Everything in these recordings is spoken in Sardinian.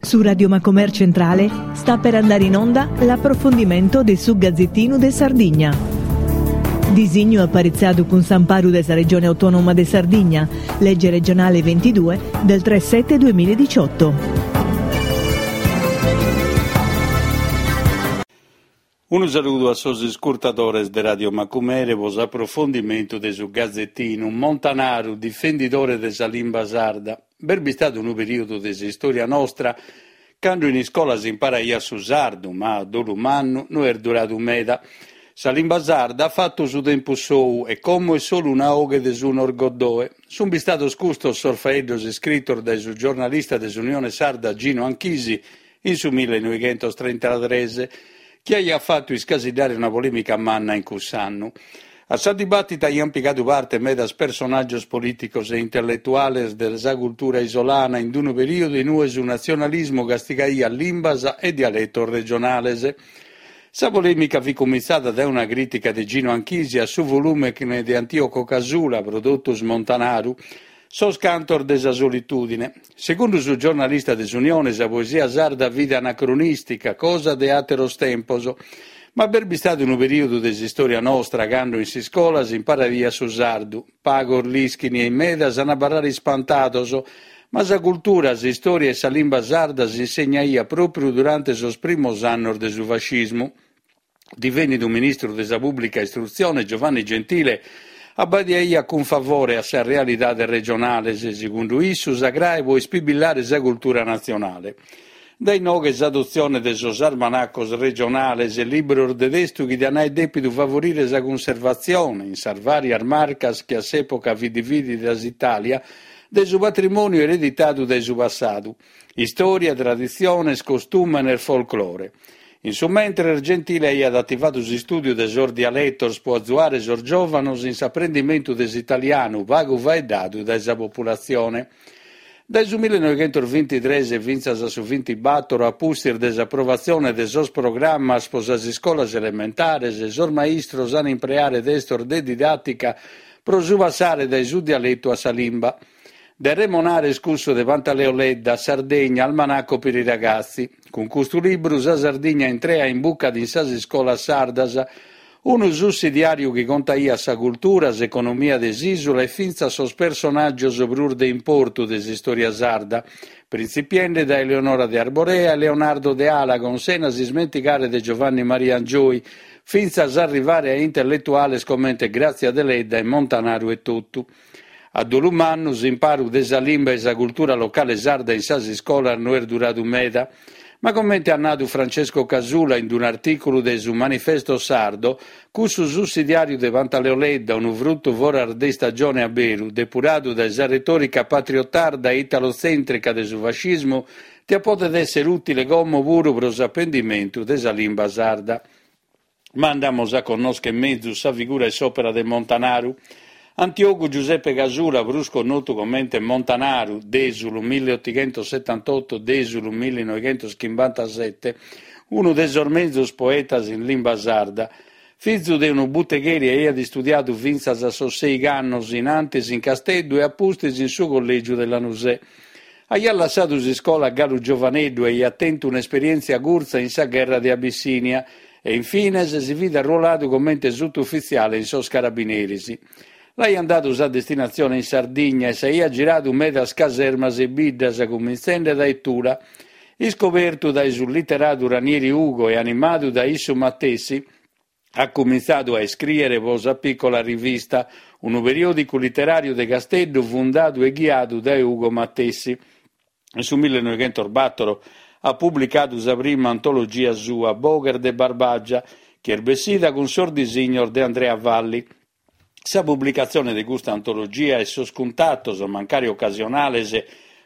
Su Radio Macomer Centrale sta per andare in onda l'approfondimento de su Gazzettinu de Sardigna. Disignu aparitzadu cun s'amparu de sa Regione Autonoma de Sardigna, legge regionale 22 del 3 7 2018. Unu saludu a sos iscurtadores de Radio Macumere pro s'aprofondimentu de su Gazetinu. Montanaru, difendidore de sa limba sarda. B'est bistadu unu perìodu de s'istòria nostra cando in iscola s'imparaiat su sardu, ma a dolu mannu no est duradu meda. Sa limba sarda at fatu su tempus sou e como est solu una 'oghe de su Norgoddoe. Sunt bistados custos sos faeddos iscritos dae su giornalista de s'Unione Sarda Gino Anchisi in su millenoighentostrentatres, chi aiat fatu iscasiddare una polèmica manna in cuss'annu. A sa dibàtita aiant pigadu parte medas personàgios polìticos e intelletuales de sa cultura isolana in unu perìodu in ue su natzionalismu castigaiat limbas e dialetos regionales. Sa polèmica fit cumintzada dae una crìtica de Gino Anchisi a su volùmene de Antioco Casula, pro totus Montanaru, Sos cantos de sa solitùdine. Segundu su giornalista de s'Unione sa poesia sarda fit anacronìstica, cosa de àteros tempos. Ma b'est bistadu unu perìodu de s'istòria nostra cando in s'iscola s'imparaiat su sardu. Pagos l'ischin e in medas an a abarrare ispantados, ma sa cultura, s'istòria e sa limba sarda s'insegnaiat pròpriu durante sos primos annos de su fascismu. Divenidu ministru de sa Pùblica Istrutzione, Giovanni Gentile abbadiaiat cun favore a sas realidades regionales, segundu issu sa crae pro ispibillare sa cultura natzionale. Dae inoghe s'adotzione de sos armanacos regionales, libros de testu chi diant aer dèpidu favorire sa cunservatzione, in sas vàrias marcas chi a s'època fit dividida s'Itàlia, de su patrimòniu ereditadu dae su passadu. Istòria, traditziones, costùmenes, folclore. In su mentres Gentile aiat ativadu s'istùdiu de sos dialetos pro azuare sos giòvanos in s'aprendimentu de s'italianu pagu faeddadu dae sa populatzione. Dae su millenoighentosvintitres fintzas a su vintibator, a pustis de s'aprovatzione de sos programmas pro sas iscolas elementares, sos maistros an impreare testos de didàtica pro su passare dae su dialetu a sa limba. De remonare est cussu de Pantaleo Ledda, Sardegna, Almanacco per i ragazzi. Cun custu libru sa Sardigna intrea imbucat in sas iscolas sardas, unu sussidiàriu chi contaiat sa cultura, s'economia de s'ìsula e fintzas sos personàgios prus de importu de s'istòria sarda, printzipiende dae Eleonora de Arborea e Leonardo de Alagon, sena s'ismentigare de Giovanni Maria Angioy, fintzas a arrivare a intelletuales comente Grazia Deledda e Montanaru etotu. A dolu mannu, s'imparu de sa limba e sa cultura locale sarda in sas iscolas no est duradu meda. Ma comente at nadu Francesco Casula in un'artìculu de su Manifesto Sardo, cussu sussidiàriu de Pantaleo Ledda, unu frutu foras de istagione a beru, depuradu dae sa retòrica patriotarda e italotzèntrica de su fascismu, tiat podet èssere ùtile como puru pro s'apendimentu de sa limba sarda. Ma andamus a connoscher mezus sa figura e s'òpera de Montanaru. Antiogu Giuseppe Casula, prus connotu comente Montanaru, Dèsulu milleotighentosetantotto, Dèsulu millinoighentoschimbantasete, unu de sos mezus poetas in limba sarda. Fizu de unu butegheri aiat istudiadu fintzas a sos seigh'annos in antis in Casteddu e a pustis in su collègiu de Lanusè. Aiat lassadu s'iscola galu giovaneddu e aiat tentu un'esperièntzia curtza in sa gherra de Abissinia e in fines si fit arruoladu comente sutufitziale in sos Carabineris. L'aiant dadu sa destinatzione in Sardigna e s'aiat giradu medas casermas e biddas, cumintzende dae Tula. Iscobertu dae su literadu Ranieri Ugo e animadu dae issu matessi, At cumintzadu a iscrìere pro sa Piccola Rivista, unu periòdicu literàriu de Casteddu fundadu e ghiadu dae Ugo matessi. In su millenoighentosbàtoro at publicadu sa prima antologia sua, Boghes de Barbàgia, chi est bessida cun sos disignos de Andrea Valli. Sa publicatzione de custa antologia e sos cuntatos, mancari ocasionales,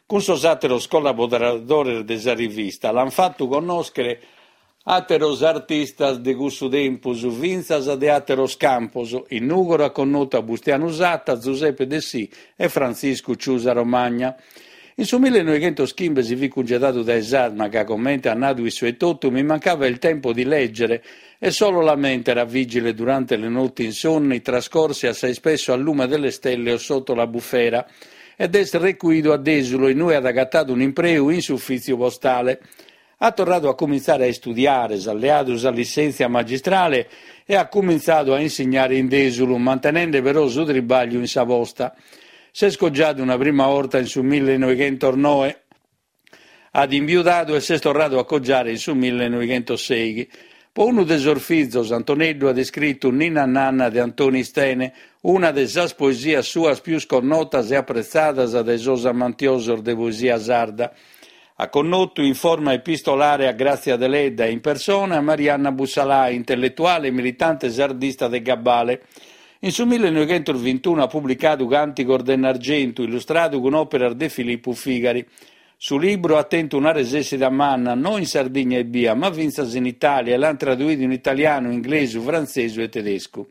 cun sos àteros collaboradores de sa rivista l'ant fatu connòschere Àteros artistas de cussu tempus, fintzas de àteros campos, in Nùgoro at connotu a Bustianu Satta, Zuseppe Dessì e Frantziscu Ciusa Romagna. In su millenoighentoschimbe si fit cungedadu dae s'Arma ca, comente at nadu issu etotu, mi mancava il tempo di leggere e solo la mente era vigile durante le notti insonni trascorse assai spesso al lume delle stelle o sotto la bufera. ed est recuidu a Dèsulo inue at agatadu un'impreu in s'ufìtziu postale. At torradu a cumintzare a istudiare, s'at leadu sa lissèntzia magistrale e at cumintzadu a insignare in Dèsulu, mantenende però su tribàgliu in sa posta. S'est cogiadu una prima 'orta in su millenoighentosnoe, at imbiudadu e s'est torradu a cogiare in su millenoighentosseighi. Po unu de sos fizos, Antoneddu at iscritu Ninna Nanna de Antoni Istene, una de sas poesias suas pius connotas e apretzadas dae sos amantiosos de poesia sarda. At connotu in forma epistolare a Gràtzia Deledda e in persona a Marianna Bussalai, intelletuale e militante sardista de gabbale. In su millenoighentosvintunu at publicadu Càntigos de Ennargentu, illustradu cun òperas de Filipu Figari. Su libru at tentu una resèssida manna, no in Sardigna ebbia, ma fintzas in Itàlia e l'ant traduidu in italianu, inglesu, frantzesu e tedescu.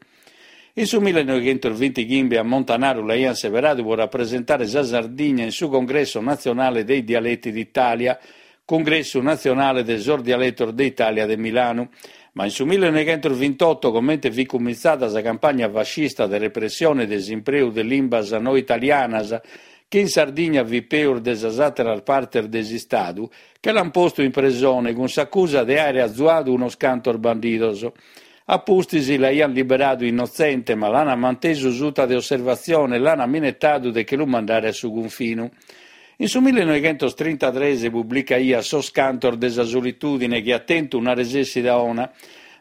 In su millenoighentosvintighimbe a Montanaru l'aiant seberadu pro rapresentare sa Sardigna in su Congresso Nazionale dei Dialetti d'Italia, Cungressu Natzionale de sos Dialetos de Itàlia de Milanu. Ma in su millenoighentosvintotto, comente fit cumintzada sa campagna fascista de repressione de s'impreu de limbas no italianas, chi in Sardigna fit peus de sas àteras partes de s'Istadu, che l'ant postu in presone cun s'acusa de àere azuadu unos cantos bandidos. A pustis l'aiant liberadu innotzente, ma l'ant mantesu suta de osservatzione e l'ant minetadu de che lu mandare a su cunfinu. In su millenoighentostrintadres publicaiat Sos cantos de sa solitùdine chi at tentu una resessida 'ona.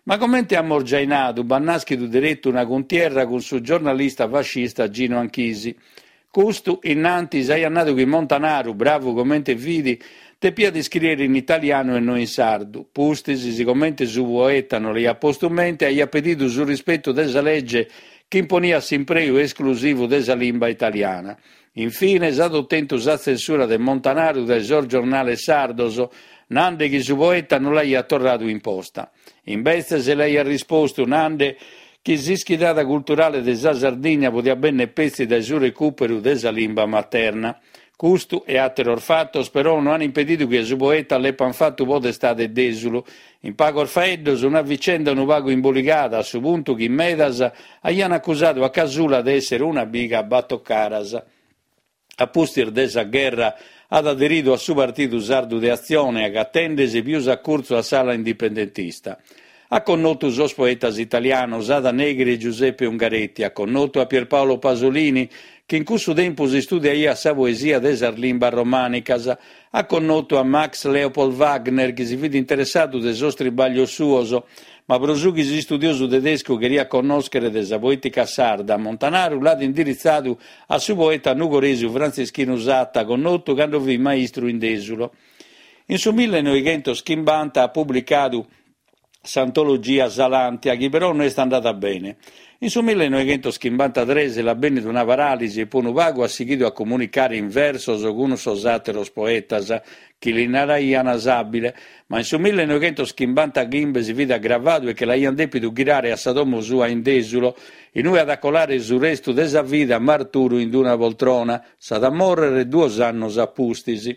Ma comente amus giai nadu, b'at nàschidu deretu una cuntierra cun su giornalista fascista Gino Anchisi. Custu, innantis, aiat nadu chi Montanaru, bravu comente fit, depiat iscrìere in italianu e no in sardu. Pustis, sigomente su poeta no l'aiat postu mente, aiat pedidu su rispetu de sa lege chi imponiat s'impreu esclusivu de sa limba italiana. Infines, at otentu sa tzensura de Montanaru dae sos giornales sardos, nande chi su poeta no l'aiat torradu imposta. Imbetzes l'aiat rispostu nande chi s'ischidada culturale de sa Sardigna podiat bènnere petzi dae su recùperu de sa limba materna. Custu e àteros fatos però no an impedidu chi a su poeta l'epan fatu podestade de Dèsulu. In pagos faeddos, una vicenda unu pagu imboligada a su puntu chi medas aian acusadu a Casula de èssere una biga a batocaras. A pustis de sa gherra at aderidu a su Partidu Sardu de Atzione, agatende·si pius a curtzu a s'ala indipendentista. At connotu sos poetas italianos Ada Negri e Giuseppe Ungaretti, at connotu a Pierpaolo Pasolini, chi in cussu tempus istudiaiat sa poesia de sas limbas romànicas, at connotu a Max Leopold Wagner, chi si fit interessadu de sos tribaglios suos, Ma pro su chi s'istudiosu tedescu cheriat connòschere de sa poètica sarda, Montanaru l'at indiritzadu a su poeta nugoresu Frantzischinu Satta, connotu cando fit maistru in Dèsulo. In su millenoighentoschimbanta at publicadu s'antologia Sa Làntia, chi però no est andada bene. In su millenoighentoschimbanta-tres l'at bènnidu una paràlisi e pro unu pagu at sighidu a comunicare in versos cun sos àteros poetas, chi li naraian s'àbile, ma in su millenoighentoschimbantachimbe si fit agravadu e che l'aian dèpidu ghirare a sa domo sua in Dèsulo, inue at a colare su restu de sa vida marturu in una poltrona. S'at a mòrrere duos annos a pustis.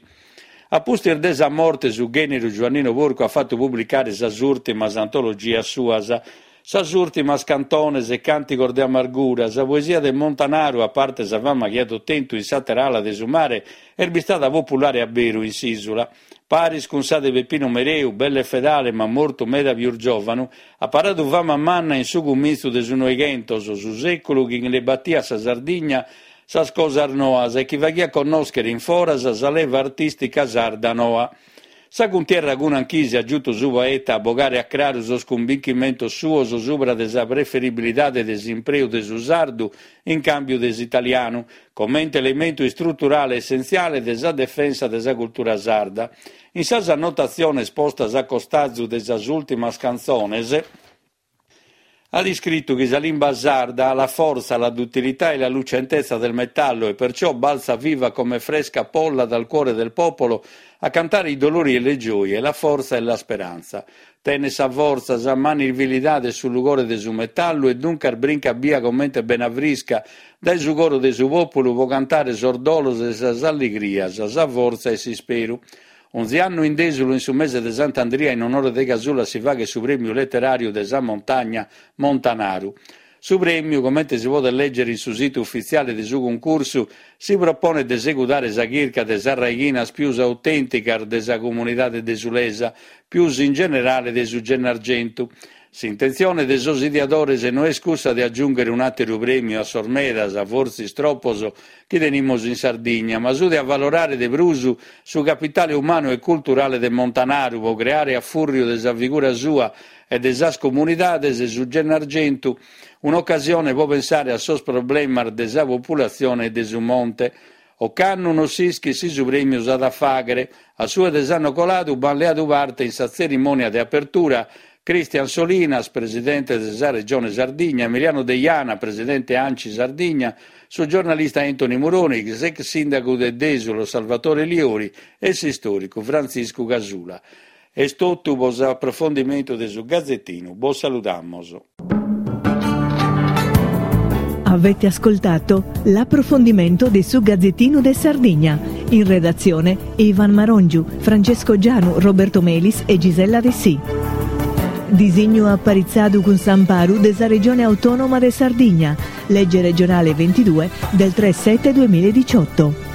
A pustis de sa morte su ghèneru Giuannino Porcu at fatu publicare sas ùrtimas antologias suas. Sas ùrtimas cantones e càntigos de amargura, sa poesia de Montanaru, a parte sa fama chi at otentu in s'àtera ala de su mare, est bistada populare a beru in s'ìsula. Paris cun sa de Peppino Mereu, belle e fedale ma mortu meda pius giòvanu, at paradu fama manna in su cumintzu de su Noighentos, su sèculu chi nde batiat a sa Sardigna sas cosas noas e chi faghiat connòschere in foras sa leva artìstica sarda noa. Sa cuntierra cun Anchisi at giutu su poeta a bogare a craru sos cumbinchimentos suos subra de sa preferibilidade de s'impreu de su sardu in càmbiu de s'italianu, comente elementu istruturale essentziale de sa defensa de sa cultura sarda. In sas annotatziones postas a costazu de sas ùltimas cantzones, At iscritu chi sa limba sarda ha la forza, la duttilità e la lucentezza del metallo e perciò balza viva come fresca polla dal cuore del popolo a cantare i dolori e le gioie, la forza e la speranza. Tenet sa fortza, sa manivilidade e su lugore de su metallu e duncas brincat bia comente bena frisca dae su coro de su pòpulu pro cantare sos dolos e sas alligrias, sa fortza e s'isperu. Onzi annu in Dèsulu in su mese de Sant'Andria in onore de Casula si faghet su prèmiu leteràriu de sa montagna Montanaru. Su prèmiu, comente si podet lègere in su situ ufitziale de su cuncursu, si proponet de segudare sa chirca de sas raighinas pius autènticas de sa comunidade desulesa, pius in generale de su Gennargentu. S'intentzione de sos ideadores no est cussa de agiùnghere un'àteru prèmiu a sos medas, fortzis tropos, chi tenimus in Sardigna, ma su de avalorare de prus su capitale umanu e culturale de Montanaru pro creare a fùrriu de sa figura sua e de sas comunidades de su Gennargentu un'ocasione pro pensare a sos problemas de sa populatzione e de su monte. Ocannu non s'ischit si su prèmiu s'at a fàghere. A su de s'annu coladu b'ant leadu parte in sa tzerimònia de apertura Christian Solinas, presidente de sa Regione Sardigna, Emiliano Deiana, presidente Anci Sardigna, su giornalista Anthony Muroni, s'ex sìndagu de Dèsulo Salvatore Liori e s'istòricu Frantziscu Casula. Est totu pro s'aprofondimentu de su Gazetinu, bos saludamos. Avete ascoltato l'approfondimento de su Gazzettino de Sardigna. In redazione Ivan Marongiu, Francesco Gianu, Roberto Melis e Gisella Dessì. Disignu aparitzadu cun s'amparu de sa Regione Autonoma de Sardigna, legge regionale 22 del 3 7 2018.